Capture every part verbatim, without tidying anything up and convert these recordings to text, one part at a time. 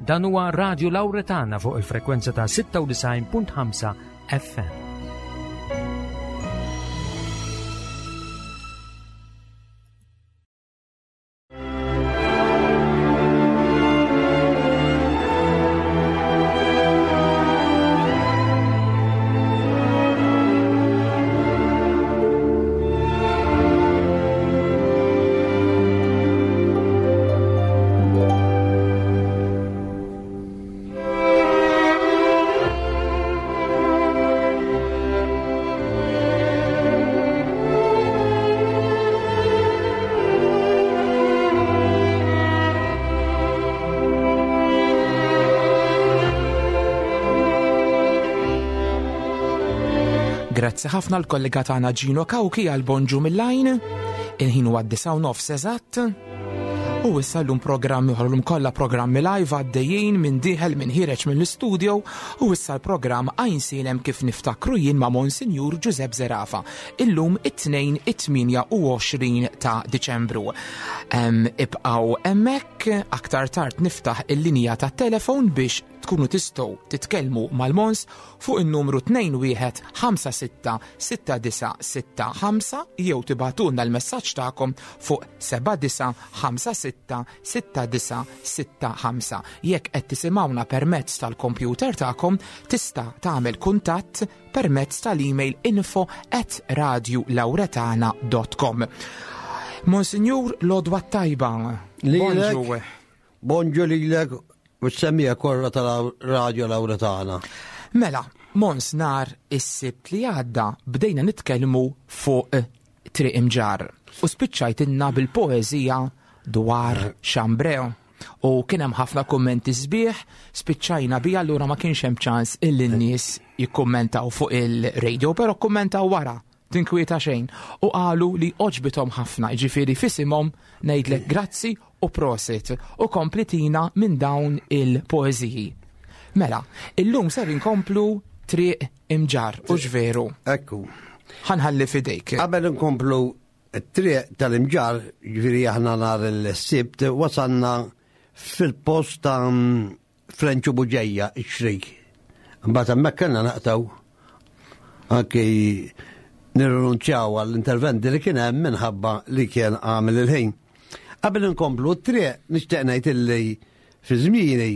Dan huwa Radio Lauretana fuq il-frekwenza ta' sitta u disgħin punt ħamsa F M. Grazzi ħafna l-kollega tagħna Gino Kawki għal bonġu mill-lajn. Il-ħin huwa disgħa u nofs eżatt. U issa llum programmi oħra, llum kollha programmi live għaddejjin minn dieħel minn ħiereġ mill-istudio u issa l-programm Għajnsielem kif niftakru jien ma' Monsinjur Giuseppe Zerafa. Illum it-tnejn it-tmienja u għoxrin ta' Diċembru. Em, Ibqgħu hemmhekk, aktar tard niftaħ il-linja ta' telefon biex tkunu tistgħu titkellmu mal-Mons fuq in-numru tnejn wieħed ħamsa sitta sitta disa' sitta ħamsa jew tibagħtulna l-messaġġ tagħkom fuq seba' disa' ħamsa sitta sitta disa' sitta ħamsa. Jekk qed tisimgħuna permezz tal-kompjuter tagħkom, tista' tagħmel kuntatt permezz tal-email info at radiolauretana dot com. Monsignor, l-għodwa tajba. Lilek. Bonġu. Bonġu lilek u s-semmiegħa kollha tal-Radio Lauretana. Mela, Mons, nhar is-Sibt li għadda bdejna nitkellmu fuq Triq Imġarr u spiċċajtilna bil-poezija dwar Xambreo. U kien hemm ħafna kummenti sbieħ, spiċċajna bija, allura ma kienx hemm ċans illi n-nies jikkummentaw fuq il-radio, però kummentaw wara, tinkwieta xejn. U qalu li għoġbithom ħafna, ġifieri f'isimhom ngħidlek grazzi u prosit u komplitina minn dawn il-poeżiji. Mela, illum ser inkomplu Triq Imġarr, u veru? Ekku. Ħa nħalli f'idejk. Qabel nkomplu t-triq tal-Imġarr, ġifieri aħna nhar il-Sibt, wasanna fil-post ta' Frenċu Buġeja, ix-xrik. Mbagħad hemmhekk kellna naqtaw anki nirrinunċjaw għall-interventi li kien hemm minħabba li kien għamel il-ħin. Qabel nkomplu t-triq, nixtieq ngħid illi fi żmieni,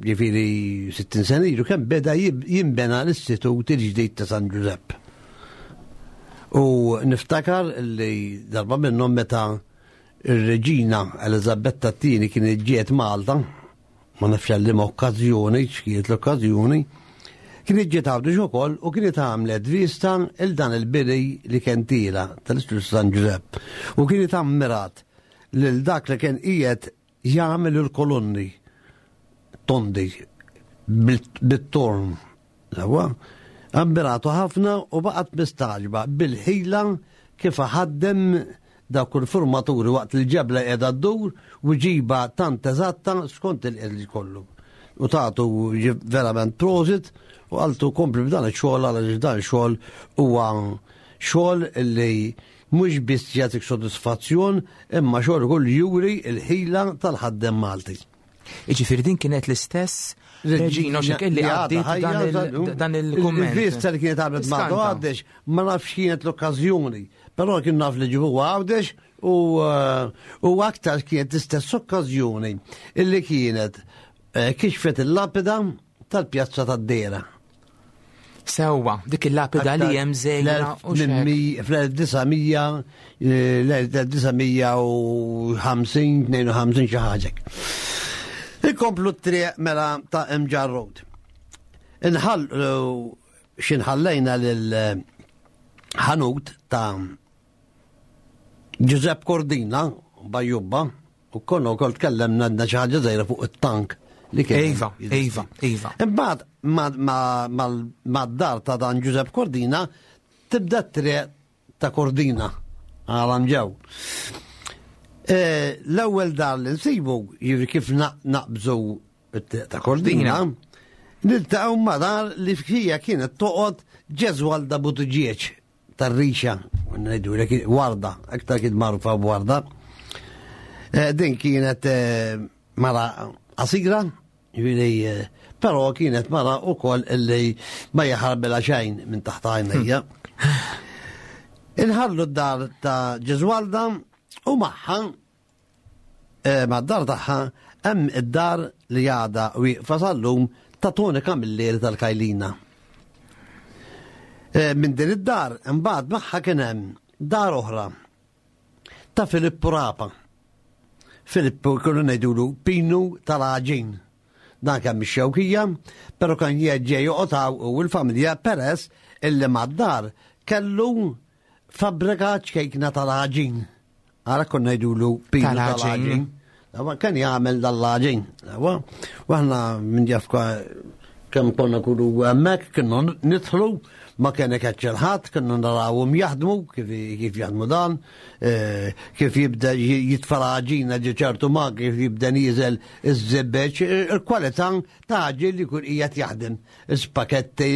ġifieri sittin sena ilu, kemm beda jib- jinbena l-Istitut il-ġdid ta' San Giuseppe. U niftakar li darba minnhom meta ir-reġina Elizabetta t-tieni kienet ġiet Malta, ma nafx għal okkażjoni, x'kienet l-okkażjoni, kienet ġiet Għawdex ukoll u kienet għamlet vista il dan il-bini li kien tila tal-Istitut San Giuseppe. U kienet ammirat lil dak li kien qiegħed jagħmel il-kolonni tondi bil- bit-torn. Sewwa? Ammiratu ħafna u baqgħet mistaġba bil-ħila kif ħaddem dak il-formaturi waqt il-ġebla qiegħda ddur u ġiba tant eżatta skont il-qed kollu. U tagħtu verament prosit u qaltlu kompli b'dan ix-xogħol, għaliex dan ix-xogħol huwa xogħol li mhux biss jagħtik sodisfazzjon, imma xogħol ukoll juri l-ħila tal-ħaddem Malti. Iġifieri din kienet l-istess reġina u xek illi Li għadha għaddiet ħajja, dan il- żadu. dan il-kumment. Il-vista li kienet għamlet Malta Skanta. Għawdex, ma nafx kienet l-okkażjoni, però kien naf li ġibu Għawdex u eh, u aktar kienet l-istess okkażjoni illi kienet eh, kixfet il-lapida tal-pjazza tad-Dera. Sewwa, dik il-lapida li hemm żejna u xek. Fl-elf disa' mija, l-elf disa' mija u ħamsin, tnejn u ħamsin xi ħaġa. Ikomplu t-triq mela ta' Mġarr Road. Inħall, xinħallejna lil ħanut ta' Giuseppe Cordina, Bajjubba, u konna wkoll tkellemna għandna xi ħaġa żgħira fuq it-tank li kien. Iva, iva, iva. Imbagħad mad-dar ta' dan Giuseppe Cordina tibda t-triq ta' Cordina għalam ġew. Eh, L-ewwel dar li nsibu, jiġri kif naqbżu t-triq ta' Cordina, niltaqgħu ma' dar li fija kienet toqgħod Ġeżwalda Buttigieg tar-rixa, ngħidu Warda, aktar kien magħrufa b'Warda. Eh, din kienet eh, mara qasira, Ġifieri, però kienet mara wkoll illi ma jaħarbilha xejn minn taħt għajnejja. Inħallu d-dar ta' Ġeżwalda u magħha ma' d-dar tagħha hemm id-dar li għadha wieqfa sal-lum ta' Toni Camilleri tal-Kajlina. Minn din id-dar imbagħad magħha kien hemm dar oħra ta' Filippu Rapa. Filippu kienu ngħidulu Pinu tal-Għaġin. Dan kien mix-Xewkija, però kien jeġġej joqgħod u l-familja peress illi mad-dar kellu fabbrika ċkejkna tal-għaġin. Ara konna ngħidulu Pinu tal-Għaġin. Kien jagħmel dal-għaġin. U aħna minn jafka kemm konna kunu hemmhekk kienu nidħlu, ma kien ikeċċel ħadd, kienu narawhom jaħdmu kif kif jaħdmu dan, kif jibda jitfa' l-għaġina ġi ċertu ma kif jibda nieżel iż-żebbeġ, il-kwalità ta' għaġin li jkun qiegħed jaħdem, ispaketti,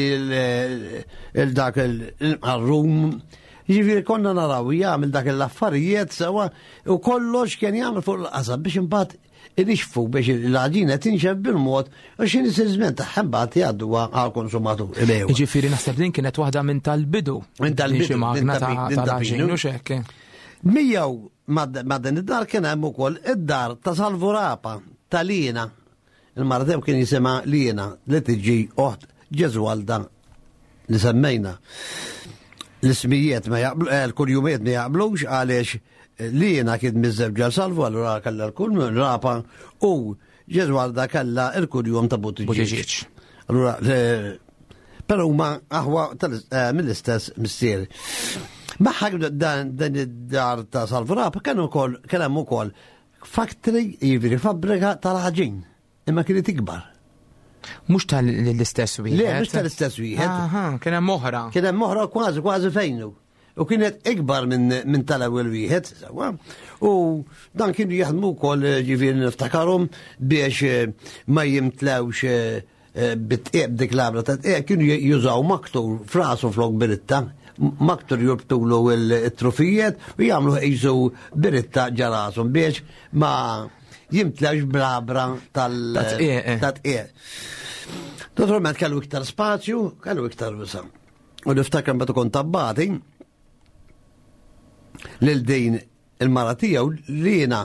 il-dak il-qarrum. Ġifieri konna naraw jagħmel dak l-affarijiet sewa u kollox kien jagħmel fuq il-qasab biex imbagħad inixfu biex l-għaġina tinxef bil-mod u x'inhi żmien tagħha mbagħad jgħadduha għall-konsumatur. Jiġifieri naħseb din kienet waħda minn tal-bidu. Minn tal-bidu, Xi magna din ta' ta' tal-għaġin u x'hekk. Miegħu ma' din id-dar kien hemm ukoll id-dar ta' Salvu Rapa ta' Lina. Il-mara tiegħu kien jisimha Lina li tiġi oħt Ġeżwalda li semmejna. L-ismijiet ma jaqblu, eh, l-kurjumijiet ma jaqblux għaliex Lina kien miżżewġa Salvu, allura kellha l-kull Rapa u Ġeżwalda kellha l-kurjum ta' Buttigieg. Buttigieg. Allura, eh, però huma aħwa tal-, eh, mill-istess missier. Magħha dan, dan id-dar ta' Salvu Rapa kien ukoll, kien hemm ukoll factory, jiġifieri fabbrika tal-ħaġin, imma kienet ikbar. Mhux tal-istess wieħed. Le, mhux tal-istess wieħed. Aha, kien hemm oħra. Kien hemm oħra kważi, kważi fejnu. U kienet ikbar minn, minn tal-ewwel wieħed, sewwa. U dan kienu jaħdmu wkoll, ġifieri niftakarhom biex, eh, ma jimtlewx, eh, eh, bit-tqieb dik l-għabra ta' tqieb, kienu jużaw maktur frasu flok biritta, maktur jurbtulu il-trufijiet u jagħmlu qisu biritta ġarashom biex ma jimtlewx bl-għabra tal- Ta' tqieb, eh. ta' tqieb. Naturalment kellu iktar spazju, kellu iktar wisa'. U niftakar meta kont tabbati lil din il-mara tiegħu li jiena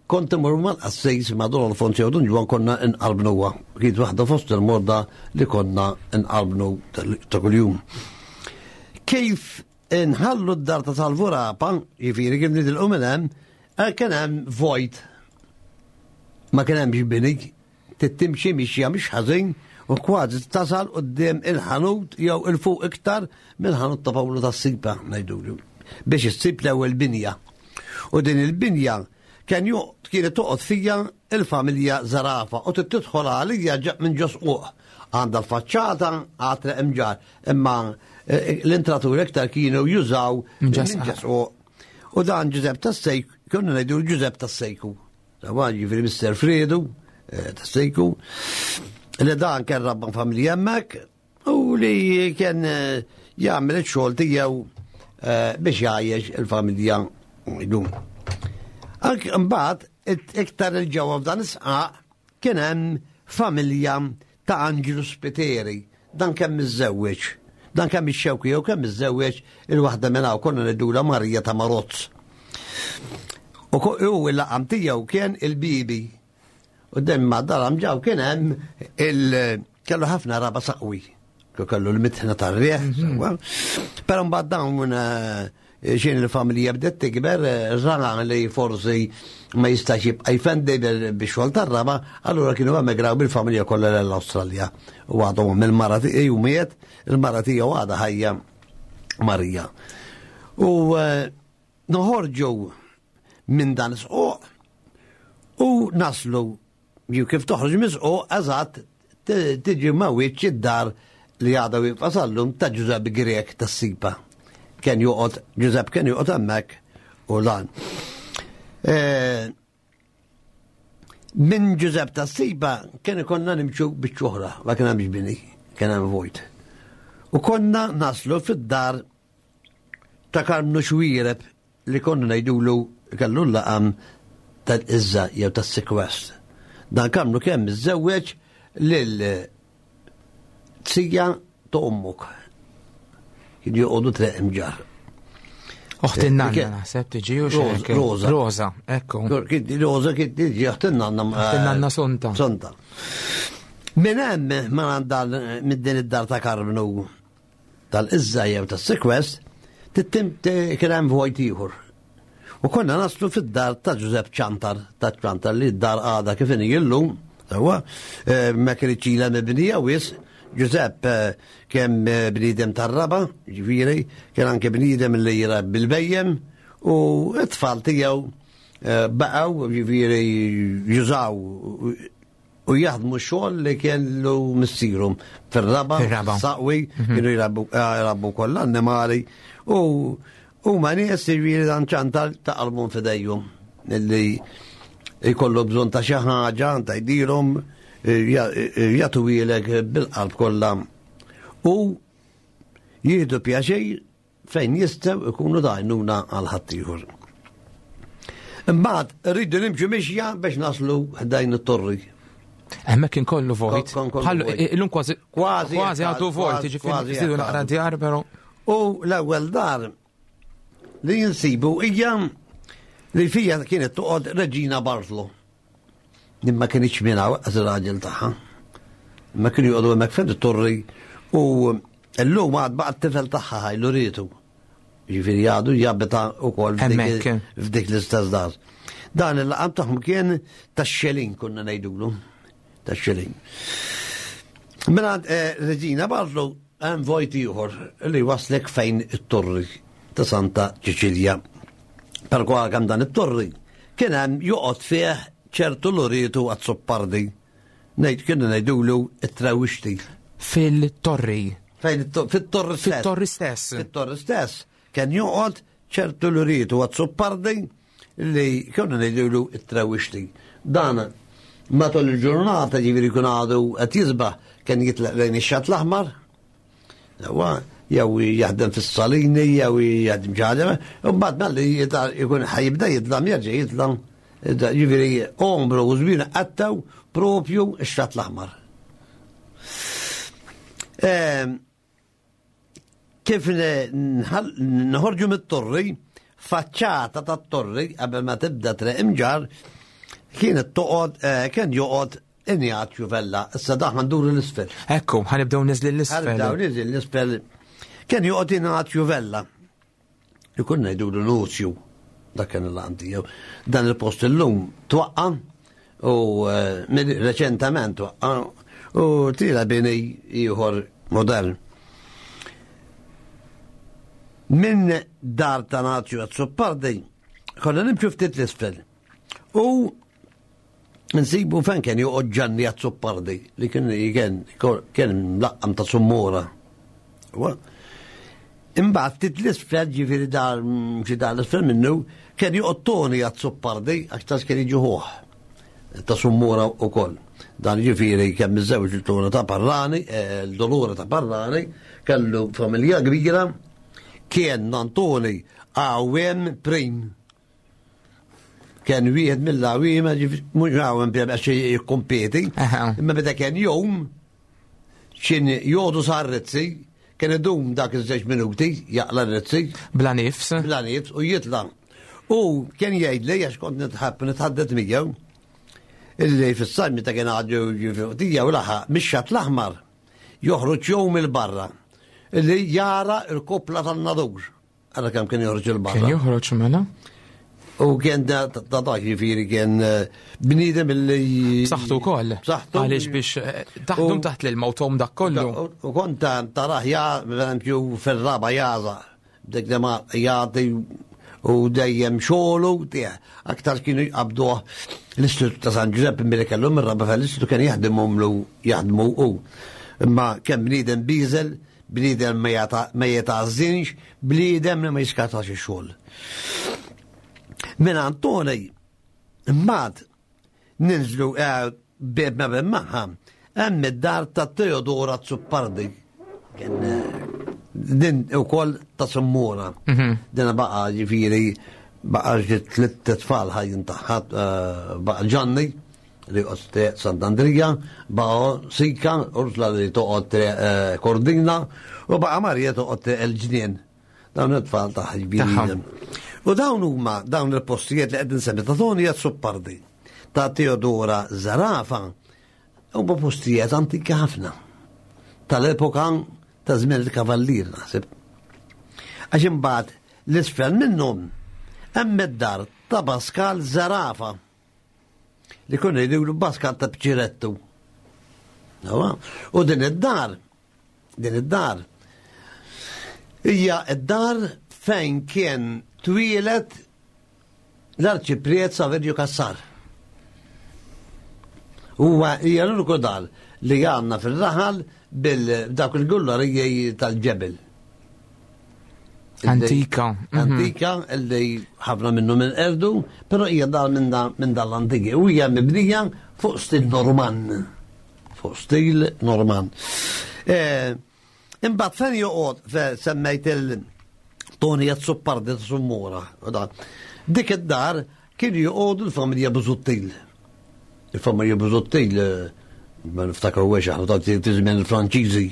kont imur mal-qassis ma' Don Alfonso jew Dun Ġwann konna nqarbnuha. Kienet waħda fost il-morda li konna nqarbnu ta' kuljum. Kif inħallu d-dar ta' Salvu Rapa, jiġifieri kif nitilqu minn hemm, eh, kien hemm vojt. Ma kien hemmx bini, tittimxi mixja mhix ħażin u kważi tasal quddiem il-ħanut jew il-fuq iktar mill-ħanut ta' Pawlu tas-Sipa ngħidulu biex issib l-ewwel binja. U din il-binja kien ju-, kienet toqgħod fija il-familja Zarafa u tidħol għalija ġa-, minn ġo squq. Għandha l-faċċata għatre imġar, imma, eh, l-intraturi iktar kienu jużaw Minn ġo minn ġo squq. U dan Ġużepp tas-Sejku, kienu ngħidu Ġużepp tas-Sejku. Sawa ġifieri Mister Fredu, eh, tas-Sejku, li dan kien rabba familja hemmhekk u li kien, eh, jagħmel ix-xogħol tiegħu, eh, biex jgħajjex il-familja jdum. Anke mbagħad it-, iktar il-ġewwa f'dan is-sqaq kien hemm familja ta' Anġlu Spiteri. Dan kemm miżżewweġ. Dan kemm ix-xewki jew kemm miżżewweġ il-waħda minn hawn konna ngħidulha Marija ta' Marozz. U ko-, u l-laqam tiegħu kien il-Bibi. U dem ma daram ġaw kien hemm il-, kellu ħafna raba saqwi. Kellu l-mitħna tar-riħ, Mhm. sewwa. Però mbagħad dawn, eh, xin il-familja bdiet tikber, eh, rana li forsi ma jistax jibqa' jfendi bil-, bix-xogħol tar-raba, allura kienu emigraw bil-familja kollha l-Awstralja. U għadhom il-mara tiegħu miet, il-mara tiegħu għadha ħajja Marija. U, eh, noħorġu minn dan is-squq u naslu, jew kif toħroġ mis-squq, eżatt t-, tiġi ma' wiċċ id-dar li għadha wieqfa sal-lum ta' Ġużepp Grek tas-Sipa. Kien joqgħod, Ġużepp kien joqgħod hemmhekk u dan. Eh, minn Ġużepp tas-Sipa kien ikonna nimxu biċ-ċoħra, ma kien hemmx bini, kien hemm vojt. U konna naslu fid-dar ta' Karmnu Xwiereb li konna ngħidulu kellu l-laqam tal-Iżża jew tas-Sikwest. Dan Karmnu kemm iżżewweġ Lil tija ta' ommok. Kien joqogħdu Triq Imġarr. Oħt in-nanna naħseb tiġi u xek. Rosa. Rosa, ekku. Rosa kien tiġi oħt in-nanna. Oħt in-nanna Sonta. Sonta. Minn hemm ma minn din id-dar ta' Karmnu tal-Izza jew tas-Sekwest, tittim kien hemm vojt ieħor. U konna naslu fid-dar ta' Giuseppe Ċantar, ta' Ċantar li d-dar għada kif inhi llum, sewwa, ma kienx ilha mibnija wis. Giuseppe kien bniedem tar-raba, ġifieri, kien anke bniedem li jrabbi bil-bejjem, u t-tfal tiegħu baqgħu ġifieri jużaw u jaħdmu xogħol li kellu missierhom fir-raba, Fir-raba. saqwi, kienu jrabbu, jrabbu kollha annimali, u huma nies ġifieri dan Ċantar ta' qalbhom f'idejhom illi jkollu bżonn ta' xi ħaġa ta' jdilhom jagħtu ilek bil-qalb kollha u jieħdu pjaċir fejn jistgħu jkunu dajnuna għal ħaddieħor. Imbagħad rridu nimxu mixja biex naslu ħdejn it-torri. Hemmhekk kien kollu vojt. Kon kollu Bħallu, vojt. illum kważi Kważi kważi għadu vojt, kważi, jiġifieri kważi żidu għadu. naqra djar, però. U l-ewwel dar li jinsibu hija li fija kienet toqgħod Reġina Bartolo. Imma kienx minn hawn għaż ir-raġel tagħha. Imma kienu joqogħdu hemmhekk fejn it-torri u llum għad baqa' t-tifel tagħha ħaj Luritu. Ġifieri għadu jabita wkoll f'dik Hemmhekk. f'dik l-istess dar. Dan il-laqam tagħhom kien tax-xelin konna ngħidulu. Tax-xelin. Mela eh, Reġina Bartolo hemm vojt ieħor li waslek fejn it-torri ta' Santa Ċiċilja. Per kemm dan it-torri kien hemm joqgħod fih ċertu Luritu Azzopardi. Ngħid kienu ngħidulu it-trawixti. Fil-torri. Fejn it-to-, fit-torri stess. Fit-torri stess. Fit-torri stess. Kien joqgħod ċertu Luritu Azzopardi li kienu ngħidulu it-trawixti. Dan matul il-ġurnata ġifieri jkun għadu qed jisbaħ kien jitlaq lejn ix-Xatt l-Aħmar. Ewa, jew jaħdem fis-salini, jew jaħdem xi ħaġa, u mbagħad malli jita-, jkun ħajibda jitlam jerġa' jitlam. Ġifieri omru u żmien qattaw propju x-Xatt l-Aħmar. Ehm, kif ne-, nħal-, nħorġu mit-torri, faċċata tat-torri qabel ma tibda Triq Imġarr, kienet toqgħod, eh, kien joqgħod Injazju Vella, issa daħ nduru l-isfel. Ekku, ħanibdew niżli l-isfel. Ħanibdew niżli l-isfel. Kien joqgħod Injazju Vella. Ikun ngħidulu Nuzju, dak kien il-laqam tiegħu. Dan il-post illum twaqqa u, eh, minn reċentament twaqqa u tila bini ieħor modern. Minn dar ta' Nazju Azzopardi, konna nimxu ftit l-isfel. U nsibu fejn kien joqgħod Ġanni Azzopardi li kien kien kien mlaqqam ta' Summura. Imbagħad ftit l-isfel, ġifieri dar xi dar l-isfel minnu, kien joqgħod Toni Azzopardi aktar kien jiġi ħuh ta' Summura wkoll. Dan ġifieri kemm miżżewġ il-Tona ta' Parlani, eh, l-Dolora ta' Parlani, kellu familja kbira, kien Antoni għawem prim. Kien wieħed mill-għawiema, ġifieri, mhux għawem prim għax jikkompeti, Aha. imma meta kien jum, x'in jodu sar rizzi, kien idum dak iż-żewġ minuti, jaqla r-rizzi. Bla nifs. Bla nifs u jitla. U kien jgħidli, għax kont nitħabb nitħaddet miegħu, illi fis-sajf meta kien għadu ġifieri u laħaq mix-Xatt l-Aħmar joħroġ jum il-barra illi jara l-kopla tan-nadur. Ara kemm kien joħroġ il-barra. Kien joħroġ mela? U kien da ta' dak ġifieri kien, eh, bniedem illi B'saħħtu wkoll. B'saħħtu. Għaliex biex, eh, taħdum U taħt l-ilma u tom dak kollu. U, u kont ta-, tarah ja, per eżempju, fir-raba jaza. Dik li ma jagħti u dejjem xogħlu, tiegħ. Aktar kienu jqabduh l-Istitut ta' San Giuseppe milli kellhom ir-raba fl-istitut kien jaħdimhom lu jaħdmu hu. Imma kemm bniedem biżel, bniedem ma jata-, ma jitgħażżinx, bniedem li ma jiskatax ix-xogħol. Minn Antoni, imbagħad ninżlu, eh, bib ma bib magħha, hemm id-dar ta' Teodora Azzopardi. Kien, eh, din ukoll ta' Summura. Mhm. Din baqa' ġifieri, baqa' xi tliet tfal ħajjin tagħha, eh, baqa' Ġanni, li joqgħod Sant'Andrija, baqa' Sika, Ursula li toqgħod eh, Kordina, u baqa' Marija toqgħod il-Ġnien. Dawn it-tfal ta' ġbiri. U dawn huma dawn il-postijiet li qed insemmi ta' Toni Azzopardi, ta' Teodora Zerafa, huma postijiet antiki ħafna. Tal-epoka ta' żmien il-Kavallier naħseb. Għax imbagħad l-isfel minnhom hemm id-dar ta' Pascal Zerafa li konna jgħidulu Pascal ta' Bċirettu. U din id-dar, din id-dar, hija id-dar fejn kien twieled l-arċipriet Saverio Cassar. Huwa hija l-uniku dar li għandna fil-raħal bil-dak il-gullariji tal-ġebel. Antika. Mhm. Antika, illi ħafna minnu minn erdu, pero hija dar minn minn dal-antiki. U hija mibnija fuq stil Norman. Fuq stil Norman. Eh, imbagħad fejn joqgħod semmejt il-Toni Azzopardi ta' Summura. Dik id-dar kienu joqogħdu l-familja Busuttil. Il-familja Busuttil, eh, ma niftakru għex aħna ta' żmien il-Franċiżi.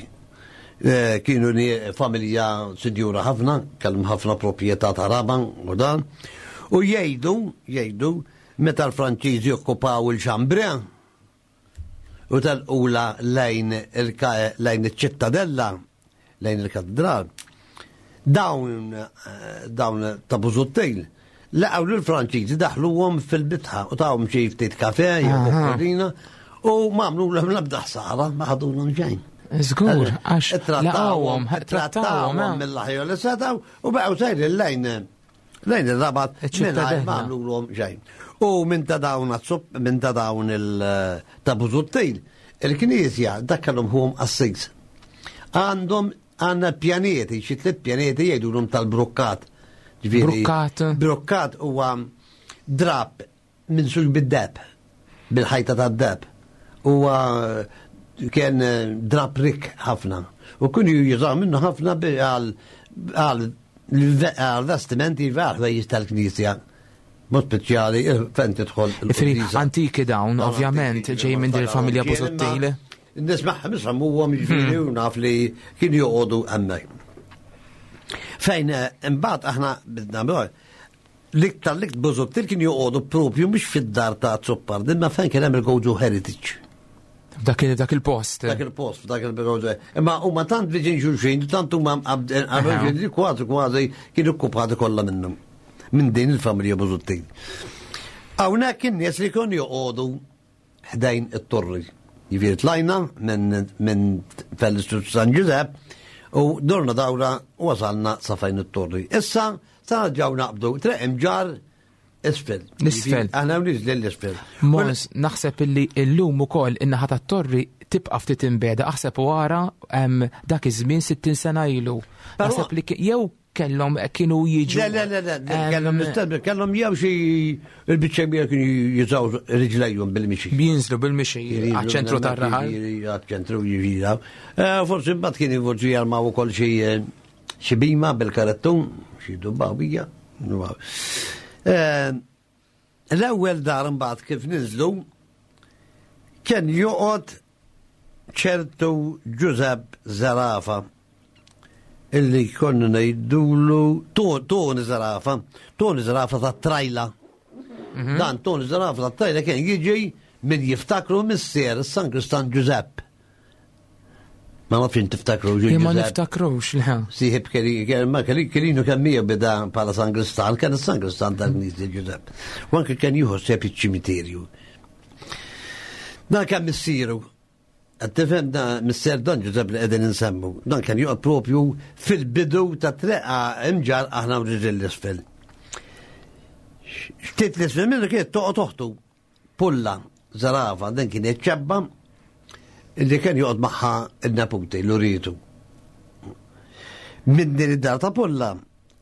Eh, kienu familja sinjura ħafna, kellhom ħafna proprjetà ta' raba u dan. U jgħidu, jgħidu, meta l-Franċiżi okkupaw il-Xambrea u tal-ula lejn lejn iċ-ċittadella, lejn il-katedral, dawn eh, dawn ta' Busuttil laqgħu lill-Franċiżi daħluhom fil-bitħa u tawhom xi ftit kafe jew u ma għamlu l-ebda ħsara, ma ħadulhom xejn. Żgur, għax laqgħuhom, trattawhom eh. mill-aħjar li setgħu u baqgħu sejrin lejn lejn ir-Rabat mingħajr ma għamlulhom xejn. U minn ta' dawn minn ta' dawn il ta' Busuttil, il-Knisja dak kellhom hum qassis. Għandhom għandna pjaneti, xi tliet pjaneti jgħidulhom tal-brukkat. Brukkat? Brukkat huwa drab minn suġ bid-deb, bil-ħajta tad-deb. Huwa kien drab rik ħafna. U kienu jużaw minnu ħafna għal vestimenti għal ħwejjeġ tal-Knisja. Mod speċjali fejn tidħol. Antiki dawn, ovvjament, ġej minn din il-familja Busuttil. Nismaħ, nismaħ, huwa jiġifieri u naf li kienu joqogħdu hemmhekk. Fejn imbagħad aħna bidna l-iktar l-iktar Busuttil kienu joqogħdu propju mhux fid-dar ta' Azzopardi, imma fejn kien hemm il-Gozo Heritage. Dak dak il-post. Dak il-post, dak il-Gozo. Imma huma tant viġin xulxin, tant huma qabel kważi kważi kienu okkupati kollha minnhom. Minn din il-familja Busuttil. Hawnhekk in-nies li kienu joqogħdu ħdejn it-torri. Jiġifieri tlajna minn minn fell-Istitut San Ġużepp u dorna dawra u wasalna sa fejn it-torri. Issa sa ġew naqbdu triq Imġarr isfel. L-isfel. Aħna niżli l-isfel. Mons, naħseb illi llum ukoll in-naħa tat-torri tibqa' ftit imbeda, aħseb u ara dak iż-żmien sittin sena ilu. Naħseb li jew kellhom kienu jiġu. Le, le, le, le, kellhom nistennu, kellhom jew xi il-biċċa kbira kienu jużaw riġlejhom bil-mixi. Jinżlu bil-mixi għaċ-ċentru tar-raħal. Għaċ-ċentru jiġi. Forsi mbagħad kienu forsi jarmaw ukoll xi xi bima bil-karettun, xi dubbawija. L-ewwel dar imbagħad kif niżlu kien joqgħod ċertu Ġużepp Zerafa illi konna ngħidulu Toni Zerafa, Toni Zerafa ta' Trajla. Dan Toni Zerafa ta' Trajla kien jiġi min jiftakru missier San Kristan Ġużepp. Ma nafx int tiftakru Ġużepp. Ma niftakrux, le. Sieħib ma kelinu kemm hija beda bħala San Kristan, kien San Kristan tal-Knisja Ġużepp. U anke kien jieħu ħsieb iċ-ċimiterju. Dan kien missieru. Tifhem da missier Don Ġużepp li qegħdin insemmu. Dan kien joqgħod propju fil-bidu ta' treqa Imġarr aħna u riġel l-isfel. Ftit l-isfel minnu kienet toqgħod oħtu Pulla Zerafa, din kienet ċebba illi kien joqgħod magħha n-neputi l-uritu. Minn din id-dar ta' Pulla,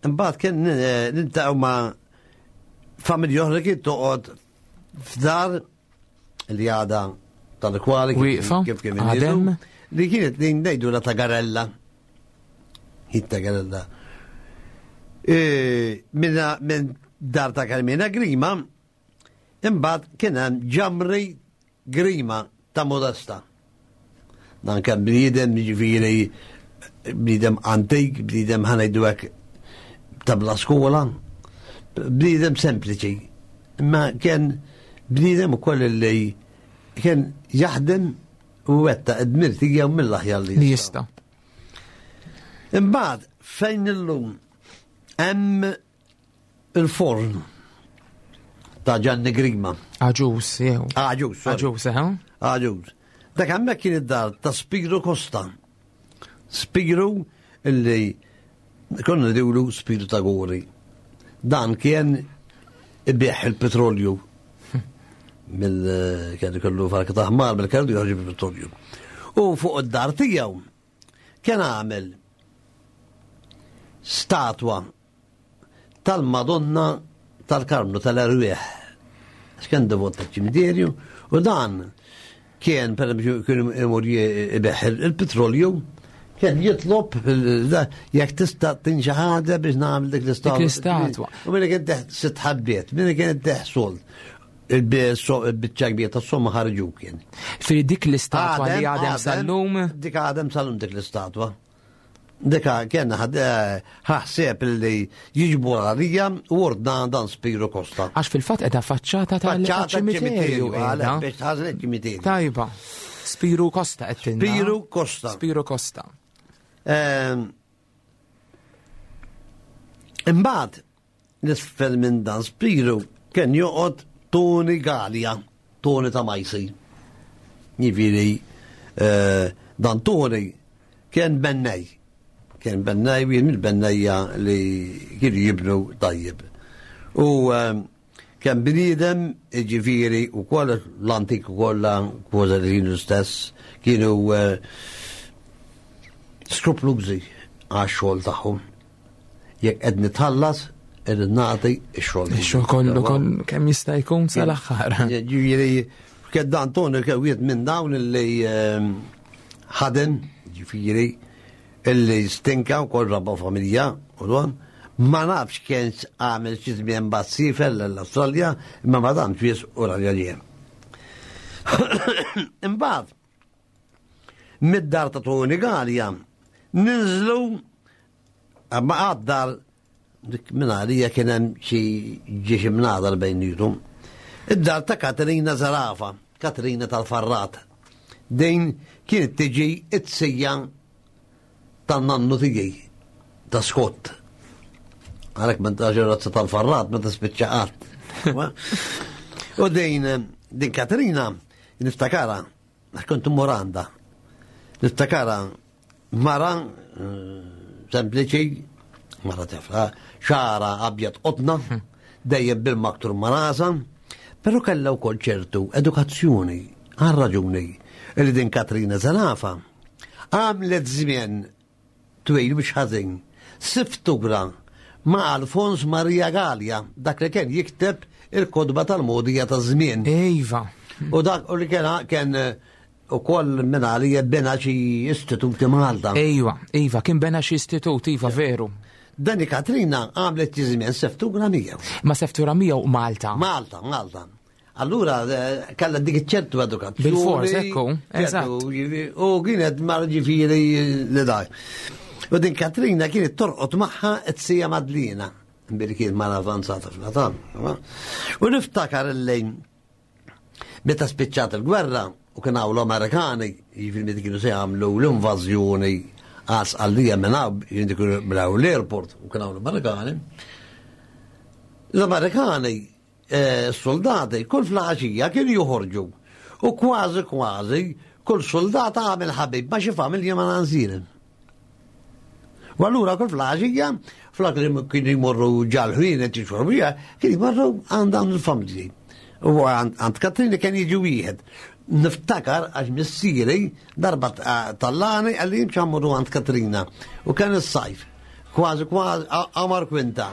imbagħad kien niltaqgħu ma' familja oħra kien toqgħod f'dar li għadha tal-kwali kif kien għadem li kienet li ngħidu la Tagarella. Hi Tagarella. Minn dar ta' Carmina Grima, imbagħad kien hemm ġamri Grima ta' Modesta. Dan kien bniedem, ġifieri bniedem antik, bniedem ħa ngħidu hekk ta' bla skola, bniedem sempliċi. Imma kien bniedem ukoll li kien jaħdem u wettaq id-dmir tiegħu mill-aħjar li jista'. Imbagħad fejn illum hemm il-forn ta' Gianni Grima. Aġus, jew. Aġus. Aġus, eh? Aġus. Dak hemmhekk kien id-dar ta' Spiru Costa. Spiru illi konna ngħidulu Spiru ta' Gori. Dan kien ibigħ il-petrolju mill kien ikollu farka ta' ħmar mill-kellu joħroġ il-petrolju. U fuq id-dar tiegħu kien għamel statwa tal-Madonna tal-Karmnu tal-Erwieħ. Kien devot tal-ċimiterju u dan kien per esempio kien imur ibigħ il-petrolju, kien jitlob jekk tista' tinxi ħaġa biex nagħmel dik l-istatwa. Dik l-istatwa. U minna kien teħ sitt ħabbiet, minna kien teħ sold. Il-biċċa kbira tas-somma ħarġu kien. Firi dik l-istatwa li għadem sal-lum? Dik għadem sal-lum dik l-istatwa. Dika kien ħaħseb li jiġbu għalija u ordna dan Spiru Costa. Għax fil-fatt edha faċċata tal-ċimiterju. Biex tħażen iċ-ċimiterju. Tajba. Spiru Costa qed tinna. Spiru Costa. Spiru Costa. Imbagħad l-isfel minn dan Spiru kien joqgħod Tony Galea, Tony ta' Majsi. Jiġifieri dan Tony kien bennej. Kien bennej, wieħed mill-bennejja li kienu jibnu tajjeb. U kien bniedem, ġifieri, u koll l-antik u kollha kważi li kienu stess, kienu skruplużi għax-xogħol tagħhom. Jekk qed nitħallas, irrid nagħti x-xogħol. Ix-xogħol kollu kollu kemm jista' jkun sal-aħħar. Ġifieri, kien dan Tony kien wieħed minn dawn li ħadem, ġifieri, illi stinka u kol rabba familja u dan, ma nafx kien għamel xi żmien mbagħad siefer l-Awstralja, imma ma damx wies u raġel jien. Imbagħad mid-dar ta' Tony Galea ninżlu ma għad-dar dik minn għalija kien hemm xi ġiex imnadar bejnietom. Id-dar ta' Katerina Zarafa, Katerina tal-Farrat. Din kienet tiġi it-sija tan-nannu tiegħi ta' Scott. Għalhekk minn ta' ġerazza tal-Farrat ma tispiċċa qatt. U din din Katerina niftakara, kont immur għandha. Niftakara mara sempliċi, mara tifla, xara abjad qotna, dejjem bil-maktur marasa, però kellha wkoll ċertu edukazzjoni, għal raġuni li din Katerina Zarafa għamlet żmien twil mhux ħażin, siftura ma' Alfons Maria Galea, dak li kien jikteb il-kodba tal-modija ta' żmien. Iva. U dak u li kien kien ukoll minn għalija bena xi istituti Malta. Iva, iva, kien bena xi istitut, iva, veru. Dani Katrina għamlet xi żmien seftura miegħu. Ma seftura miegħu Malta. Malta, Malta. Allura kellha dik ċertu edukazzjoni. Bil-fors, ekku, eżatt. U kienet mar ġifieri li dak. U din Katrina kienet torqod magħha t-sija Madlina, billi kienet mara avanzata fl-età. U niftakar il-lejn meta spiċċat il-gwerra u kien hawn l-Amerikani, jiġifieri meta kienu se jagħmlu l-invażjoni għas għalija minn hawn, jiġifieri kienu bnew l-airport u kien hawn l-Amerikani. L-Amerikani, soldati, kull flaxija kienu joħorġu u kważi kważi kull soldat għamel ħabib ma xi familja ma nanżilen. U allura kull flaxija, flok li kienu jmorru ġal-ħwienet jixorbu, kienu jmorru għand dawn il-familji. U għand Katrina kien jiġi wieħed. Niftakar għax missieri darba tallani għalli jimxi mmorru għand Katrina. U kien is-sajf. Kważi kważi qamar kwinta.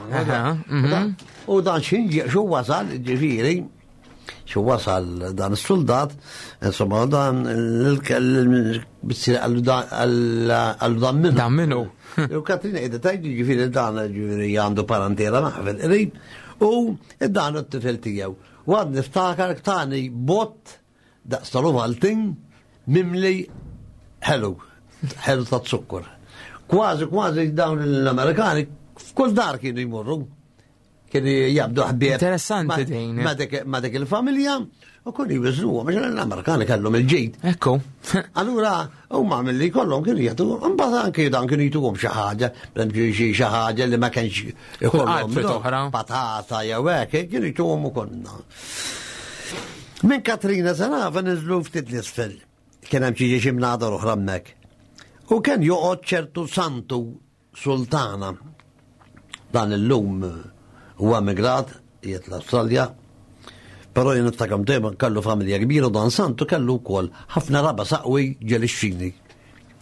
U dan xinġi xu wasal, ġifieri, xu wasal dan is-soldat, insomma dan il-missieri għallu dan minnu. Dan minnu. U Katrina qiegħda tgħid ġifieri dan ġifieri għandu parentela naħfel qrib u dan it-tifel tiegħu. U għad niftakar tani bott daqs tal-Ovaltine mimli ħelu, ħelu ta' zukkor. Kważi, kważi dawn l-Amerikani f'kull dar kienu jmorru. Kienu jabdu ħbieb. Interessanti din. Ma dik il-familja u kienu jwiżnuhom, għax l-Amerikani kellhom il-ġid. Ekku. Allura, huma milli kollhom kienu jagħtu, imbagħad anke dan kienu jtuhom xi ħaġa, pereżempju xi xi ħaġa li ma kienx ikollhom patata jew hekk, kienu jtuhom ukoll. Minn Katrina Zerafa niżlu ftit l-isfel. Kien hemm xi xi mnadar oħra hemmhekk. U kien joqgħod ċertu Santu Sultana. Dan illum huwa emigrat, qiegħed l-Awstralja, però jien niftakar dejjem kellu familja kbira u dan Santu kellu wkoll ħafna raba saqwi ġelixxini.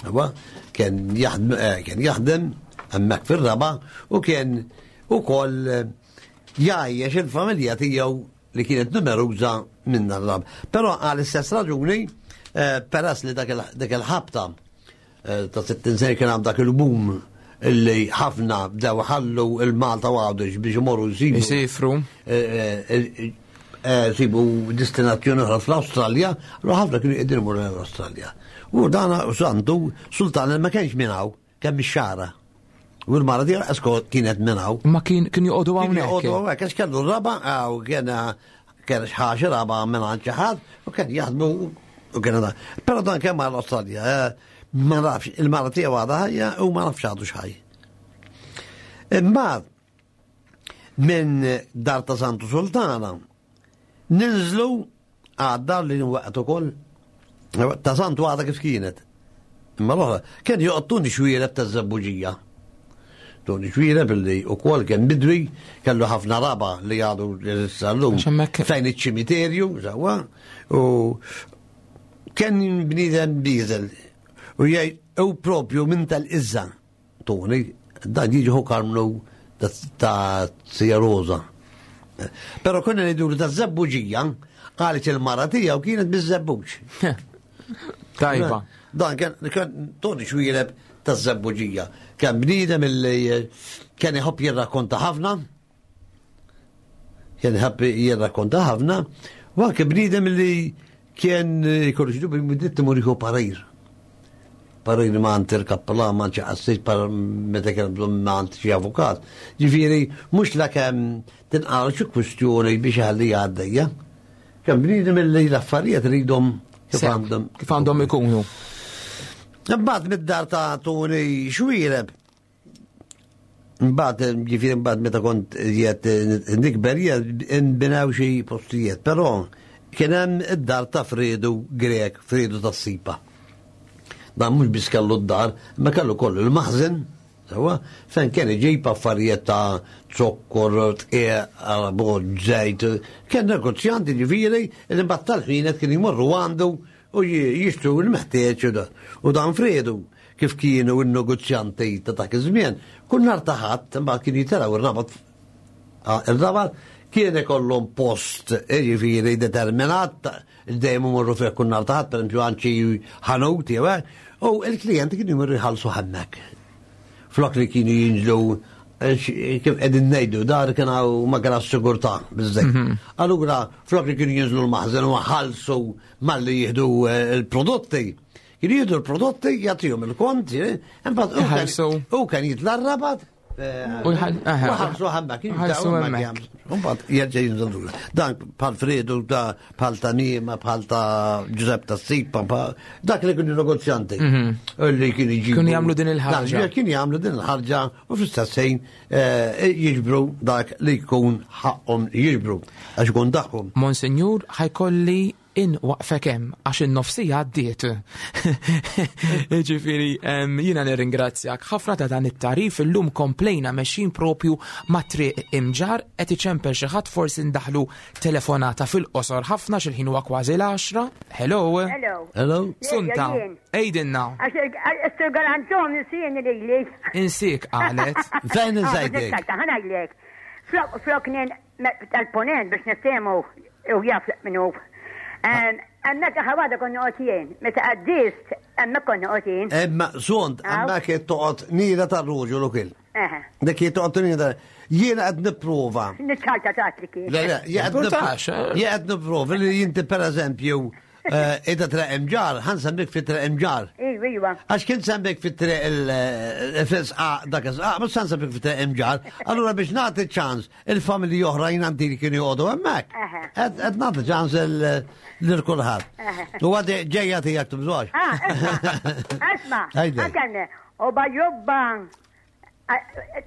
Huwa kien jaħdem, kien jaħdem hemmhekk fir-raba u kien ukoll jgħajjex il-familja tiegħu li kienet numeruża minn dan raba. Però għall-istess raġuni, peress li dak il-ħabta ta' sittin sena kien hemm dak il-boom illi ħafna bdew ħallu il-Malta u Għawdex biex imorru jsibu. Isifru. Sibu destinazzjoni oħra fl-Awstralja, allura ħafna kienu qegħdin imorru l-Awstralja. U dan Santu Sultan ma kienx minn hawn, kemm ix-xara. U l-mara tiegħu esko kienet minn hawn. Ma kien kien joqogħdu Kien hawnhekk. joqogħdu hawnhekk, għax kellu raba, u kien kien ħaxi raba minn għand xi ħadd, u kien jaħdmu u kien dan. Però dan kemm għall-Awstralja, ma nafx, il-mara tiegħu għadha ħajja u ma nafx għadu x'ħaj. Imbagħad minn dar ta' Santu Sultana ninżlu għad-dar li nwaqgħet ukoll ta' Santu għadha kif kienet. Imma l-oħra kien joqgħod Tuni Xwiereb taż-Żebbuġija. Tuni Xwiereb illi wkoll kien bidwi, kellu ħafna raba li għadu issa llum Għax hemmhekk fejn iċ-ċimiterju, sewwa, u kien bniedem bieżel. U jgħid u propju minn tal-Iżża, Tuni, dan jiġi hu Karmnu ta' Sija Rosa. Però konna ngħidu ta' Żebbuġija, qalet il-mara tiegħu kienet biż-żebbuġ. Tajba. Dan kien, kien Toni Xwiereb ta' Żebbuġija. Kien bniedem illi kien iħobb jirrakkonta ħafna. Kien iħobb jirrakkonta ħafna. U anke bniedem illi kien jkollu xi dubju minn imur jieħu parir. Parir ma għand il-kappella, ma għand xi qassis, par meta kien bżonn ma għand xi avukat. Ġifieri, mhux la kemm tinqal xi kwistjoni biex ħalli għaddejja. Kien bniedem illi l-affarijiet ridhom kif Sew, għandhom kif għandhom ikunu. Imbagħad mid-dar ta' Tuni Xwiereb. Imbagħad, ġifieri imbagħad meta kont qiegħed nikber nbinaw xi postijiet, però kien hemm id-dar ta' Fredu Grek, Fredu tas-Sipa. Dan mhux biss kellu d-dar, ma kellu kollu l-maħżen, sewwa, fejn kien iġib affarijiet ta' zokkor, tqiegħ, arbot, żejt, kien negozjanti ġifieri li mbagħad tal-ħwienet kien jmorru għandu u jixtru l-meħtieġ u dan. U dan Fredu, kif kienu n-negozjanti ta' dak iż-żmien, kull nhar ta' Ħadd imbagħad kien jitilgħu ir-rabat. Ah, ir-rabat kien ikollhom post ġifieri determinat, dejjem imorru fih kull nhar ta' Ħadd, pereżempju għand xi ħanut jew hekk, u l-klijenti kienu jmorru jħallsu hemmhekk. Flok li kienu jinżlu, kif qegħdin ngħidu, dar kien hawn ma kien sigurtà biżżejjed. Mhm. Allura flok li kienu jinżlu l-maħżen u ħallsu malli jieħdu l-prodotti, kienu jieħdu l-prodotti, jagħtihom il-kont, imbagħad hu kien Iħallsu. hu kien jitla' r-rabat, U jħall-, aha. u ħallsu hemmhekk, U ħallsu jibdew hemmhekk hemmhekk. jagħmlu. Imbagħad jerġa' jinżel lura. Dan bħal Fredu, ta' bħal ta' Nima, bħal ta' Giuseppe ta' Sipa, bħal dak li kienu negozjanti. Mhm. Li kienu jġibu. Kienu jagħmlu din il-ħarġa. Dak, kienu jagħmlu din il-ħarġa u fl-istess ħin, eh, jiġbru dak li jkun ħaqhom jiġbru, għax ikun tagħhom. Monsinjur, ħajkolli in waqfek hemm għax in-nofsija għaddiet. Ġifieri, em, jiena nirringrazzjak ħafna ta' dan it-tarif. Illum komplejna mexjin propju ma' triq Imġarr, qed iċempel xi ħadd, forsi ndaħlu telefonata fil-qosor ħafna x'il-ħin huwa kważi l-għaxra. Hello. Hello. Hello. Sunta, Jien. ejdinna. Għax il-Sur Galantom insieni lili. Insik qalet. Fejn insejtek? Ah, ħanajlek. Flok, flok nen tal-ponent biex niftehmu u jaf minnu. Hemmhekk ħawada konna qotjien, meta għaddist, hemmhekk konna qotjien. Imma sont, Aw. hemmhekk toqgħod nira tar-ruġu l-ukil. Eħe. Dik toqgħod nira. Jiena qed nipprova. Niċċalta tagħtli kien. Le, le, jien qed Importax, nipprova. eh. Jien qed nipprova li inti pereżempju Eh, Ida Triq Imġarr, ħa nsemmik fi Triq Imġarr. Iwa, iwa. Għax kien semmik fi triq il-fisqa, dak is-sqaq, mhux semmik fi Triq Imġarr. Allura biex nagħti ċans il-familji oħrajn għandi li kienu joqogħdu hemmhekk. Aha. Qed nagħti ċans lil kulħadd. U għadi ġejja tiegħek tibżgħax. Ah, isma, isma, Għidli. għakanne, u bajubba,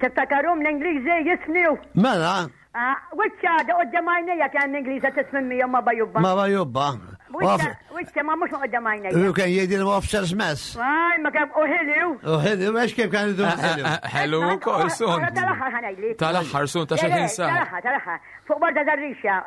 tiftakarum l-Ingliżi jismiju. Mela, Wiċċa, da qoddam għajnejja kien l-Ingliża tismimmi ma bajubba. ma bajubba. Wiċċa, wiċċa, ma mhux qoddam għajnejja. U kien jgħidil officers mess. Aj, ma kien uħiliw. U ħili, u għax kif kan jgħidu ħili. Hello ukoll, sun. Tal-aħħar ħa ngħidlek. Tal-aħħar, sun, ta' xi ħin sar. Tal-aħħar, tal-aħħar. Fuq barda dar-rixa,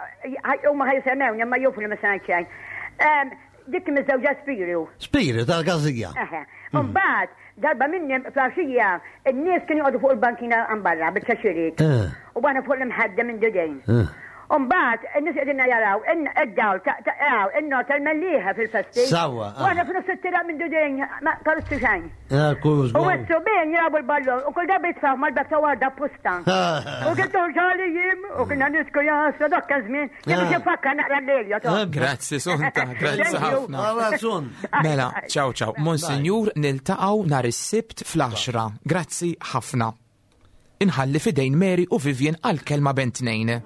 huma ħa jisemmewni, ma jufu li ma se ngħid xejn. Dik miżżewġa Spiru. Spiru tal-gazija. Eħe. Mbagħad darba minni flaxija, in-nies kienu joqogħdu fuq il-bankina għan barra biċ-ċaxirik. Eh. U għana fuq l-imħadda minn dudejn. Eh. Mbagħad in-nies qegħdin jaraw id-dawl ta' in-nor tal-Mellieħa fil-festi. Sawa, U għana f'nofs it-tira minn dudejn ma karussu xejn. Kuż. U s-subien jilagħbu l-ballon u kull darba jitfaw mal-bab ta' warda apposta. U kien toħġali jim u kienna nisku jasa dak żmien. Jien biex nfakkar naqra l-lejl Eh, Grazzi, Sunta, grazzi Thank you. ħafna. Għala sun. Mela, ciao ciao. Monsinjur, niltaqgħu nhar is-Sibt fl-għaxra. Grazzi ħafna. Inħalli fidejn Mary u Vivian għal kelma bejn tnejn.